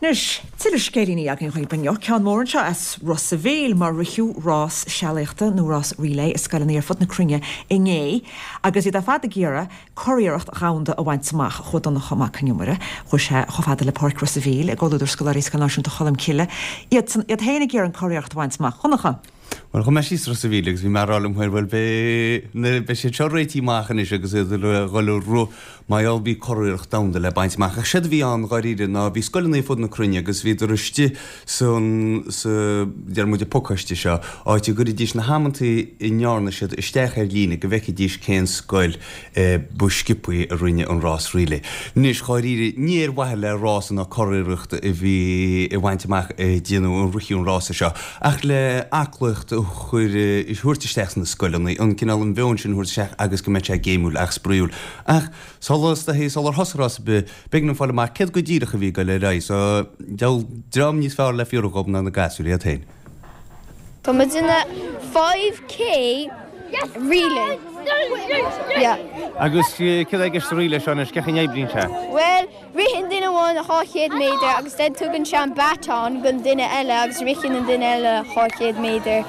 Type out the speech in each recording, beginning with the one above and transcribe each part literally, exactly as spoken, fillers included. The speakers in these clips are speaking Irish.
Anois, tuilleadh scéilíní againn dhaoibh inniu, ceann mór anseo as Ros a' Mhíl, mar ritheadh rás sealaíochta nó rás relay i scoileanna ar fud na cruinne inné agus iad ar fad ag iarraidh curiarracht dhomhanda a bhaint amach. Chuaigh Donncha Mac Con Iomaire, chuaigh sé chomh fada le Páirc Ros a' Mhíl i gcomhluadar scoláirí Scoil Náisiúnta Cholm Cille, iadsan iad féin ag iarraidh an curiarracht a bhaint amach. Dhonncha. Bhuel, chuaigh mé síos Ros a' Mhíl agus bhí mé ag rá liom féin, bhuel, beidh na, beidh siad seo réitithe amach anois agus iad ag dhul ag rith mar gheall bhí curiarracht domhanda le baint amach. Ach séard a bhí ann dháiríre ná bhí scoileanna ar fud na cruinne agus bhíodar istigh san, sa, deir muid, an pacáiste seo, áit a gcuiridís na hamantaí a ndearna siad isteach ar líne go bhfeicfidís cén scoil ba sciobthaí a rinne an rás relay. Anois, dháiríre, ní ar mhaithe le rás ná curiarracht a bhí a bhaint amach a déanadh an ritheadh an rása seo, ach le aclaíocht a chur, a thabhairt isteach sna scoileanna, an cineál an mheon sin a thabhairt isteach agus go mbeadh sé géimiúil ach spraíúil. Ach sula, sular thosaigh rás ar bith, b'éigean dom fáil amach céard go díreach a bhí ag dul ar aghaidh, so diabhal dream níos fearr le fiafraí dhób ná na gasúir iad féin. Tá muid ina five K relay. Yeah. Agus céard é i gceist sa relay seo anois, cén chaoi a n-oibríonn sé? Bhuel, ritheann duine amháin dhá chéad méadar agus then tugann sé an baton don duine eile agus ritheann an duine eile dhá chéad méadar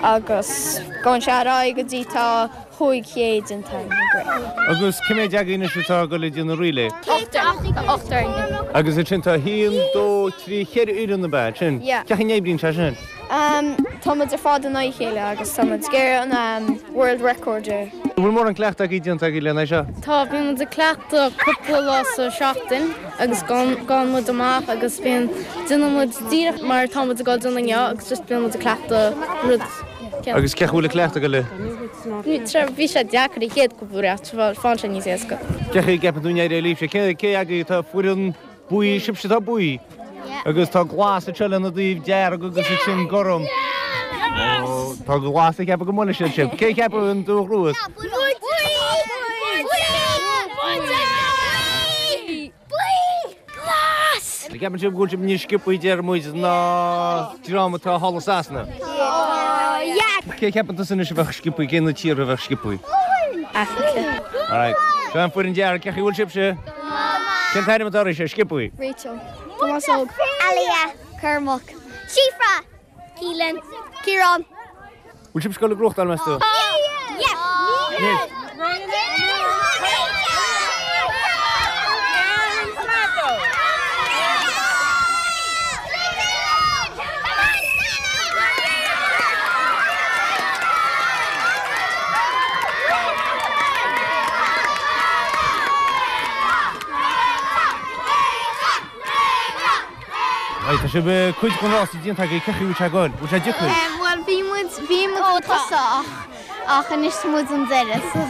agus gabhann sé ar aghaidh go dtí tá chúig chéad déanta againn. Agus cé mhéad agaibh anois atá ag dul ag déanamh relay? Ochtar. Tá ochtar againn. Agus ansin tá haon, dó, trí, ceithre fhoireann ab ea ansin? Yeah. Cén chaoi a n-oibríonn sé sin? Tá muid ar fad in aghaidh a chéile agus tá muid ag iarraidh an world record a. An bhfuil mórán cleachtaidh agaibh déanta agaibh lena seo? Tá, bíonn muid ag cleachtadh cúpla lá sa seachtain agus gabhann muid amach agus bíonn, déanann muid díreach mar atá muid ag dul déanamh inniu agus just bíonn muid ag cleachtadh rud céanna. Agus cén chaoi a bhfuil an cleachtadh ag dul? Bhí sé deacair an chéad cúpla uair ach faigheann sé níos éasca. Cén chaoi a gceapann tú go n-éireoidh libhse? Cé cé agaibh atá foireann buí, sibhse atá buí? Agus tá glas anseo lena dtaobh, dearg agus ansin gorm. Ó, tá glas ag ceapadh go mbuailfidh siad sibh. Cé a cheapann an dúch ruas? An gceapann sibh go bhfuil sibh níos sciobthaí deir muid ná dream atá thall i Sasana? Cé a cheapann tusa anois a bheadh sciobthaí? Cé na tíortha a bheadh sciobthaí? Africa. Alright. Seo an foireann dearg, cén chaoi a bhfuil sibhse? Cén t-ainm atá oraibhse? Sciobthaí. Rachel. Tomás Óg. Alia. Cormac. Síofra. Keelan. Ciarán. Bhfuil sibh ag dul ag gnóthachtáil, meas tú? Yeah. Right, tá sibh cuid den rás déanta agaibh, cén chaoi a bhfuil sé ag goil? Bhfuil sé deacair? Bhuel, bhí muid, bhí muid chun tosaigh ach, ach anois tá muid an deireadh so.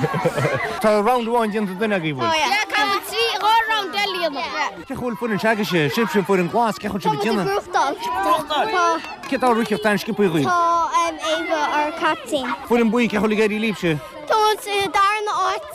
Tá round amháin déanta duine agaibh, bhfuil? Tá, yeah. Caithfidh muid trí, dhá round eile a dhéanamh. Cén chaoi a bhfuil foireann s'agaibhse, sibhse an foireann glas, cén chaoi a bhfuil sibh ag déanamh? Tá muid ag gnóthachtáil. Tá. Cé atá ag ritheacht an-sciobthaí dhaoibh? Tá Ava, our captain. Foireann buí, cén chaoi a bhfuil ag éirí libhse? Tá muid sa darna áit.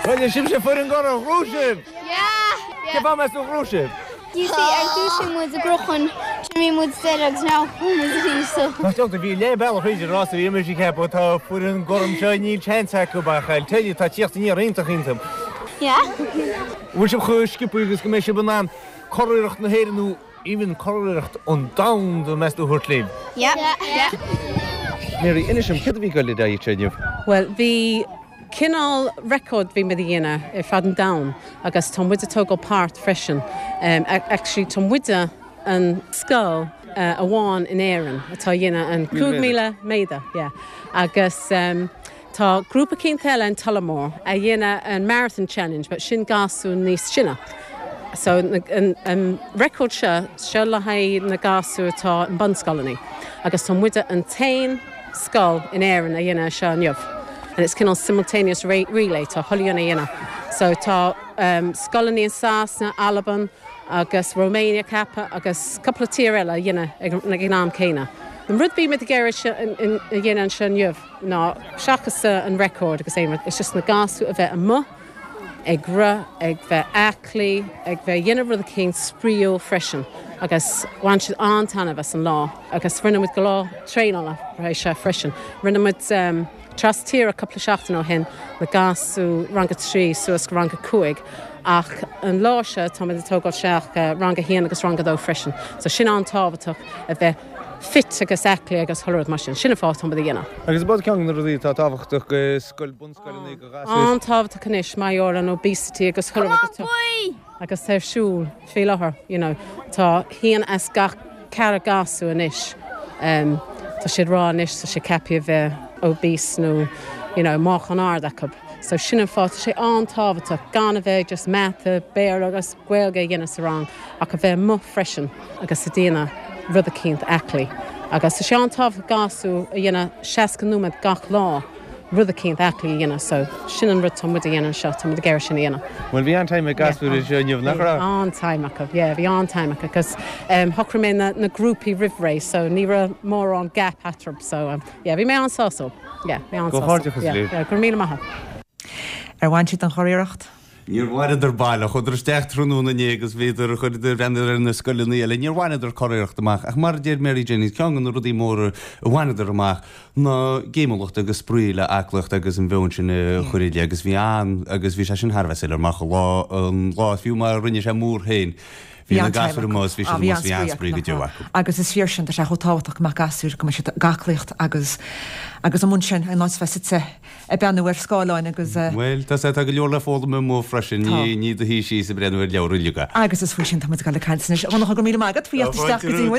Bhuel, sibhse foireann gorm, ghnóthaigh sibh! Cén fáth meas tú gur ghnóthaigh sibh? You see, ar dtús bhí muid ag rith chun, bhí muid deireadh agus now bhí muid arís so. Nach dtiocfaidh, bhí leath bealach thríd an rás a bhí mise ag ceapadh, tá foireann gorm seo, níl seans acu ach I'll tell you, tá tíocht aniar iontach iontach. Yeah. Bhfuil sibh chomh sciobtha agus go mbeidh sibh in ann curiarracht na hÉireann nó even curiarracht an domhain meas tú a thabhairt libh? Yeah. Yeah. Mary, inis dom, céard a bhí ag goil ar aghaidh anseo inniu? Bhuel, bhí cineál record bhí muid a dhéanamh ar fad an domhan agus tá muid ag tógáil páirt freisin. Actually tá muide an scoil amháin in Éirinn atá a dhéanamh an cúig míle méadar, yeah. Agus tá grúpa eicínt eile in Tullamore a dhéanamh an Marathon Challenge but sin gasúir níos sine. So an an record seo, seo le haghaidh na gasúir atá i mbunscoileanna agus tá muide an t-aon scoil in Éirinn a dhéanamh seo inniu. And it's cineál simultaneous relay, tá chuile dhuine a dhéanamh. So tá um, scoileanna in Sasana, Albain agus Romania ceapaim agus cúpla tír eile a dhéanamh ag, ag an am céanna. An rud bhí muid ag iarraidh a dhéanamh anseo inniu ná seachas an record agus aon rud, it's just na gasúir a bheith amuigh ag rith, ag bheith aclaí, ag bheith dhéanamh rud éicint spraíúil freisin agus bhain siad an-taitneamh as an lá agus rinne muid go leor traenála sé freisin. Rinne muid um, tras tíre cúpla seachtain ó shin na gasúir rang a trí suas go rang a cúig ach an lá seo tá muid ag tógáil isteach rang a haon agus rang a dó freisin. So sin an-tábhachtach a bheith fit agus aclaí agus chuile rud mar sin, sin an fáth tá muid a dhéanamh. Agus bod ceann na rudaí atá tábhachtach go scoil bunscoileanna go gasúir. An-tábhachtach anois mar gheall ar an obesity agus chuile rud agus ar siúl faoi láthair, you know, tá haon as gach ceathair gasúr anois. Um, tá siad rá anois tá sé ceaptha a bheith obese nó you know, meáchan ard acu. So sin an fáth sé an-tábhachtach gan a bheith just mata, Béarla agus Gaeilge a dhéanamh sa rang ach a bheith amuigh freisin agus ag déanamh rud éicint aclaí. Agus sé an-tábhachtach gasúir a dhéanamh seasca nóiméad gach lá rud éicint aclaí a dhéanamh, so sin an rud tá muid a dhéanamh seo tá muid ag iarraidh sin a dhéanamh. Well bhí an-time ag gasúir seo inniu nach raibh? An-time acu, yeah, bhí an-time acu, cos um, shocraigh mé na, na grúpaí roimh ré, so ní raibh mórán gap eatarthu, so um, yeah, bhí mé an-sásta. Yeah, bhí an Go sásta. háirithe, Yeah, Liv. yeah, go raibh míle maith. Ar bhain siad an churiarracht? Níor bhaineadar baileach, chuadar isteach tráthnóna inné agus bhíodar chuireadar breathnú ar na scoileanna eile, níor bhaineadar curiarracht amach, ach mar a deir Mary Jennings ceann de na rudaí móra a bhaineadar amach ná géimiúlacht agus spraoi le aclaíocht agus an mheon sin a chur i agus bhí an agus bhí sé sin thar a bheith soiléir amach lá an lá fiú mar rinne sé mór féin. Bhí na gasúir amuigh bhí siad amuigh bhí an-spraoi go deo acu. Agus is fíor sin tá sé chomh tábhachtach go mbeadh gasúir go mbeadh siad ag aclaíocht agus agus an sin in áit bheith suite ag breathnú ar scáileáin agus eh, Well tá sé tá go leor le foghlaim amuigh freisin Tá. ní ní do hí sí sa breathnú ar leabhar uilig. agus is faoi sin tá muid ag caint anois. Dhonncha go míle maith agat faoi isteach go dtí muid.